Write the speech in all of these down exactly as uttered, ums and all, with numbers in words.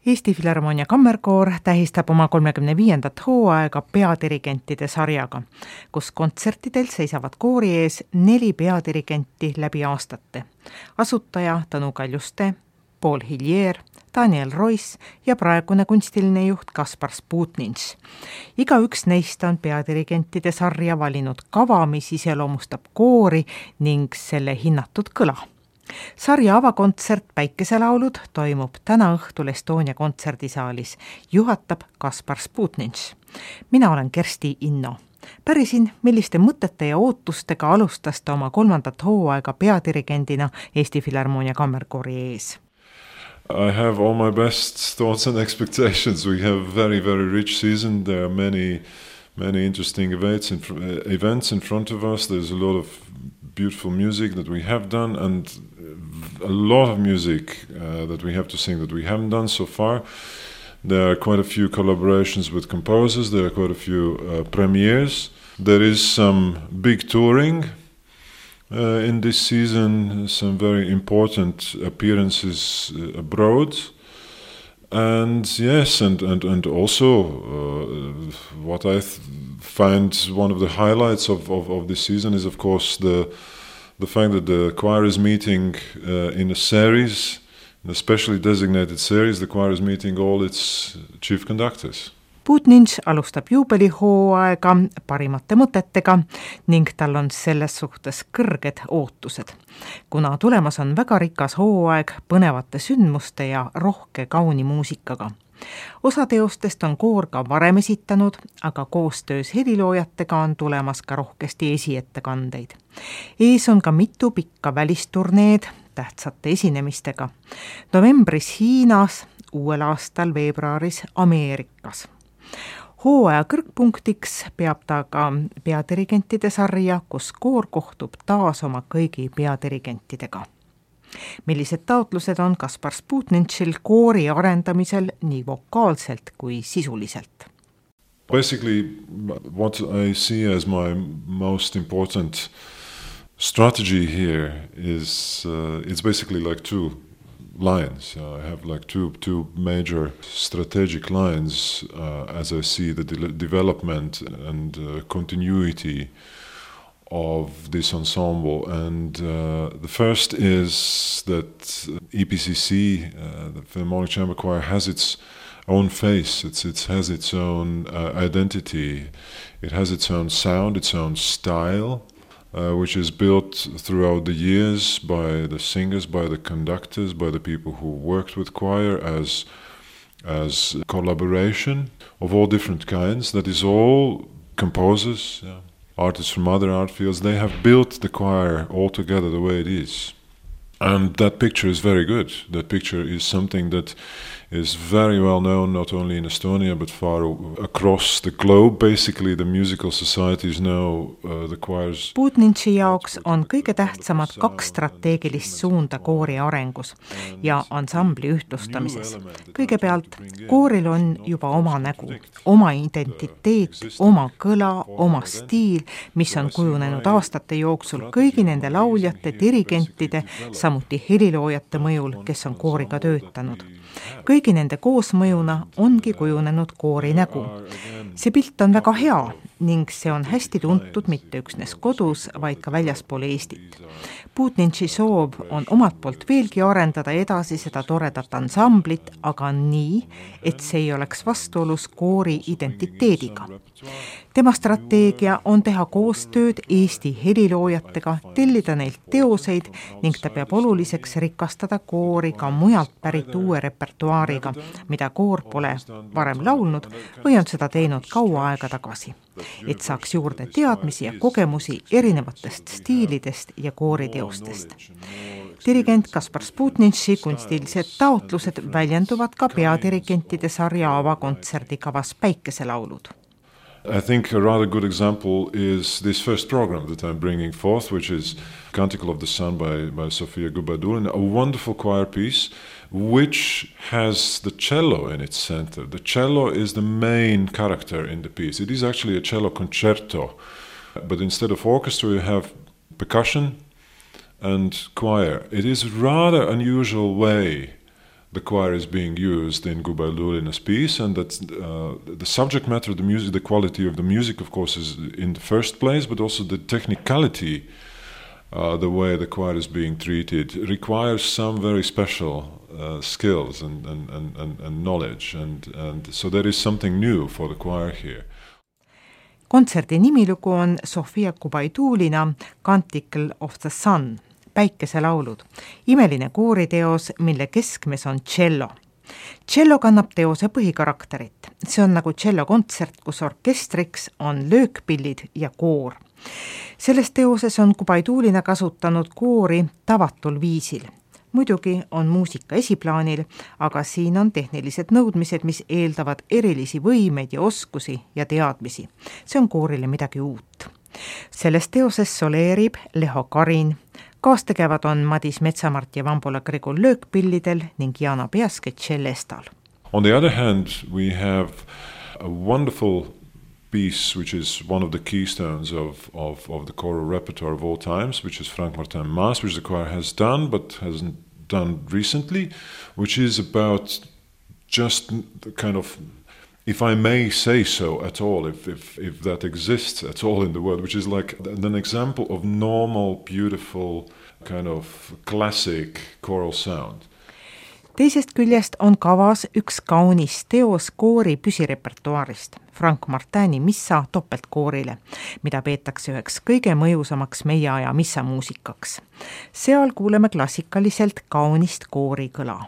Eesti Filharmoonia Kammerkoor tähistab oma kolmekümne viiendat hooaega peadirigentide sarjaga, kus kontsertidel seisavad koori ees neli peadirigenti läbi aastate. Asutaja Tõnu Kaljuste, Paul Hillier, Daniel Royce ja praegune kunstiline juht Kaspar Sputnins. Igaüks neist on peadirigentide sarja valinud kava, mis iseloomustab koori ning selle hinnatud kõla. Sarja avakontsert Päikeselaulud toimub täna õhtul Estonia kontserdisaalis. Juhatab Kaspar Sputnins. Mina olen Kersti Inno. Pärisin, milliste mõtete ja ootustega alustas ta oma kolmandat hooaega peadirigendina Eesti Filharmoonia Kammerkoori ees. I have all my best thoughts and expectations. We have a very, very rich season. There are many, many interesting events in, events in front of us. There's a lot of beautiful music that we have done and a lot of music uh, that we have to sing that we haven't done so far. There are quite a few collaborations with composers. There are quite a few uh, premieres. There is some big touring uh, in this season, some very important appearances uh, abroad. And yes, and, and, and also uh, what I th- find one of the highlights of, of, of this season is, of course, the the fact that the choir is meeting uh, in a series, in a specially designated series. The choir is meeting all its chief conductors. Sputnins alustab juubelihooaega parimate mõtetega ning tal on selles suhtes kõrged ootused, kuna tulemas on väga rikas hooaeg põnevate sündmuste ja rohke kauni muusikaga. Osa teostest on koor ka varem esitanud, aga koostöös heliloojatega on tulemas ka rohkesti esiettekandeid. Ees on ka mitu pikka välisturneed tähtsate esinemistega. Novembris Hiinas, uuel aastal veebruaris Ameerikas. Hooaja kõrgpunktiks peab ta ka peadirigentide sarja, kus koor kohtub taas oma kõigi peadirigentidega. Millised taotlused on Kaspar Sputninsil koori arendamisel nii vokaalselt kui sisuliselt? Basically, what I see as my most important strategy here is uh, it's basically like two lines. Uh, I have like two two major strategic lines uh, as I see the de- development and uh, continuity of this ensemble, and uh, the first is that E P C C, uh, the Philharmonic Chamber Choir, has its own face. It's it has its own uh, identity. It has its own sound, its own style, uh, which is built throughout the years by the singers, by the conductors, by the people who worked with choir as as collaboration of all different kinds. That is all composers. Yeah. Artists from other art fields, they have built the choir all together the way it is. And that picture is very good. That picture is something that is very well known not only in Estonia but far across the globe. Basically the musical societies know uh, the choirs. Sputninsi jaoks on kõige tähtsamad kaks strateegilist suunda koori arengus ja ansambli ühtlustamises. Kõigepealt, kooril on juba oma nägu, oma identiteet, oma kõla, oma stiil, mis on kujunenud aastate jooksul kõigi nende lauljate, dirigentide, samuti heliloojate mõjul, kes on kooriga töötanud. Kõigi nende koosmõjuna ongi kujunenud koori nägu. See pilt on väga hea ning see on hästi tuntud mitte üksnes kodus, vaid ka väljaspool Eestit. Sputninsi soov on omalt poolt veelgi arendada edasi seda toredat ansamblit, aga nii, et see ei oleks vastuolus koori identiteediga. Tema strateegia on teha koostööd Eesti heliloojatega, tellida neilt teoseid ning ta peab oluliseks rikastada koori ka mujalt pärit uue repertuaariga, mida koor pole varem laulnud või on seda teinud kaua aega tagasi, et saaks juurde teadmisi ja kogemusi erinevatest stiilidest ja kooriteostest. Dirigent Kaspar Sputninsi kunstilised taotlused väljenduvad ka peadirigentide sarja avakontserdikavas Päikeselaulud. I think a rather good example is this first program that I'm bringing forth, which is Canticle of the Sun by, by Sofia Gubadulin, a wonderful choir piece which has the cello in its center. The cello is the main character in the piece. It is actually a cello concerto, but instead of orchestra you have percussion and choir. It is a rather unusual way the choir is being used in Gubaidulina's piece, and that uh, the subject matter, the music, the quality of the music, of course, is in the first place, but also the technicality, uh, the way the choir is being treated, requires some very special uh, skills and, and, and, and, and knowledge, and, and so there is something new for the choir here. Kontserdi nimilugu on Sofia Gubaidulina Canticle of the Sun, päikeselaulud, imeline kooriteos, mille keskmes on tšello. Tšello kannab teose põhikarakterit. See on nagu tšellokontsert, kus orkestriks on löökpillid ja koor. Selles teoses on Gubaidulina kasutanud koori tavatul viisil. Muidugi on muusika esiplaanil, aga siin on tehnilised nõudmised, mis eeldavad erilisi võimeid ja oskusi ja teadmisi. See on koorile midagi uut. Selles teoses soleerib Leho Karin, kaastegevad on Madis Metsamart ja Vambola Grigul löökpillidel ning Jana Peaske tšellestal. On the other hand, we have a wonderful piece which is one of the keystones of, of, of the choral repertoire of all times, which is Frank Martin Mass, which the choir has done but hasn't done recently, which is about just the kind of, if I may say so at all, if, if, if that exists at all in the world, which is like an example of normal, beautiful, kind of classic choral sound. Teisest küljest on kavas üks kaunis teos koori püsirepertuaarist, Frank Martini missa topeltkoorile, mida peetakse üheks kõige mõjusamaks meie aja missamuusikaks. Seal kuuleme klassikaliselt kaunist koorikõla.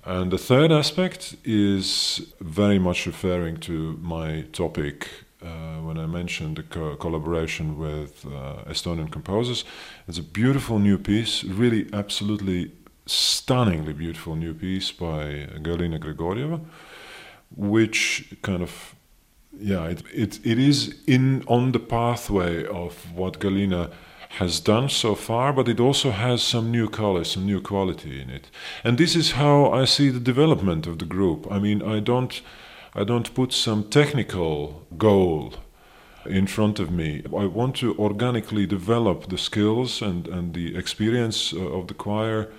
And the third aspect is very much referring to my topic uh, when I mentioned the co- collaboration with uh, Estonian composers. It's a beautiful new piece, really absolutely stunningly beautiful new piece by Galina Grigorieva, which kind of, yeah, it, it, it is in on the pathway of what Galina has done so far, but it also has some new color, some new quality in it. And this is how I see the development of the group. I mean, I don't, I don't put some technical goal in front of me. I want to organically develop the skills and, and the experience of the choir,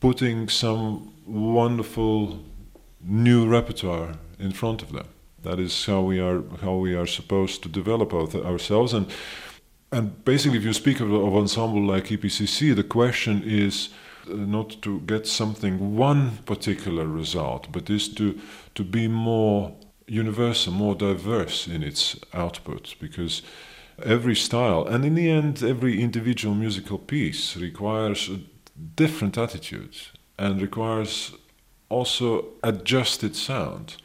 putting some wonderful new repertoire in front of them. That is how we are, how we are supposed to develop ourselves. And And basically, if you speak of, of ensemble like E P C C, the question is not to get something, one particular result, but is to, to be more universal, more diverse in its output, because every style, and in the end, every individual musical piece requires a different attitude and requires also adjusted sound.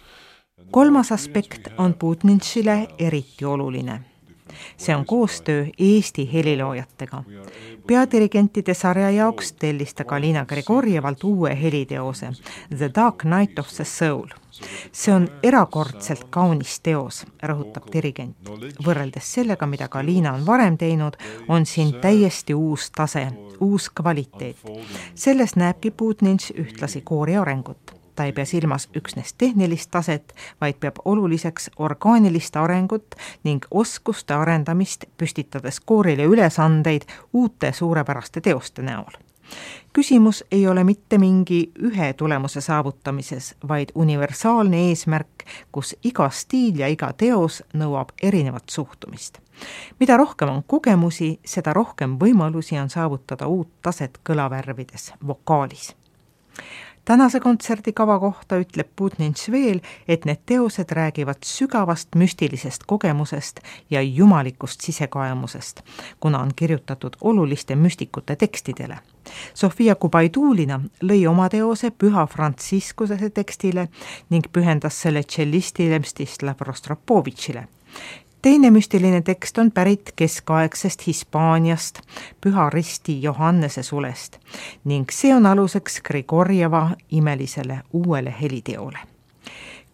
Kolmas aspekt on Budnitšile eriti oluline. See on koostöö Eesti heliloojatega. Peadirigentide sarja jaoks tellis ta Galina Grigorjevalt uue heliteose, The Dark Night of the Soul. See on erakordselt kaunis teos, rõhutab dirigent. Võrreldes sellega, mida Galina on varem teinud, on siin täiesti uus tase, uus kvaliteet. Selles näebki Budnitš ühtlasi koori arengut. Ta ei pea silmas üksnes tehnilist taset, vaid peab oluliseks orgaanilist arengut ning oskuste arendamist, püstitades koorile ülesandeid uute suurepäraste teoste näol. Küsimus ei ole mitte mingi ühe tulemuse saavutamises, vaid universaalne eesmärk, kus iga stiil ja iga teos nõuab erinevat suhtumist. Mida rohkem on kogemusi, seda rohkem võimalusi on saavutada uut taset kõlavärvides, vokaalis. Tänase kontserdikava kohta ütleb Budnitš veel, et need teosed räägivad sügavast müstilisest kogemusest ja jumalikust sisekaemusest, kuna on kirjutatud oluliste müstikute tekstidele. Sofia Gubaidulina lõi oma teose Püha Frantsiskuse tekstile ning pühendas selle tšellistile Mstislav Rostropovitšile. Teine müstiline tekst on pärit keskaegsest Hispaaniast, Püha Risti Johannese sulest ning see on aluseks Grigorjeva imelisele uuele heliteole.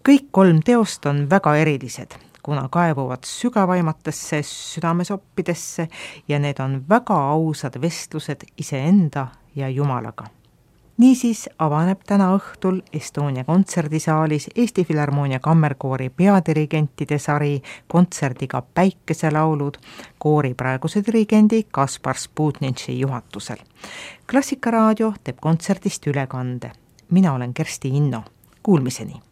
Kõik kolm teost on väga erilised, kuna kaevuvad sügavaimatesse südamesoppidesse ja need on väga ausad vestlused iseenda ja Jumalaga. Niisiis avaneb täna õhtul Estonia kontserdisaalis Eesti Filharmoonia kammerkoori peadirigentide sari kontserdiga Päikeselaulud koori praeguse dirigendi Kaspar Budnitši juhatusel. Klassikaraadio teeb kontserdist ülekande. mina olen Kersti Inno. Kuulmiseni!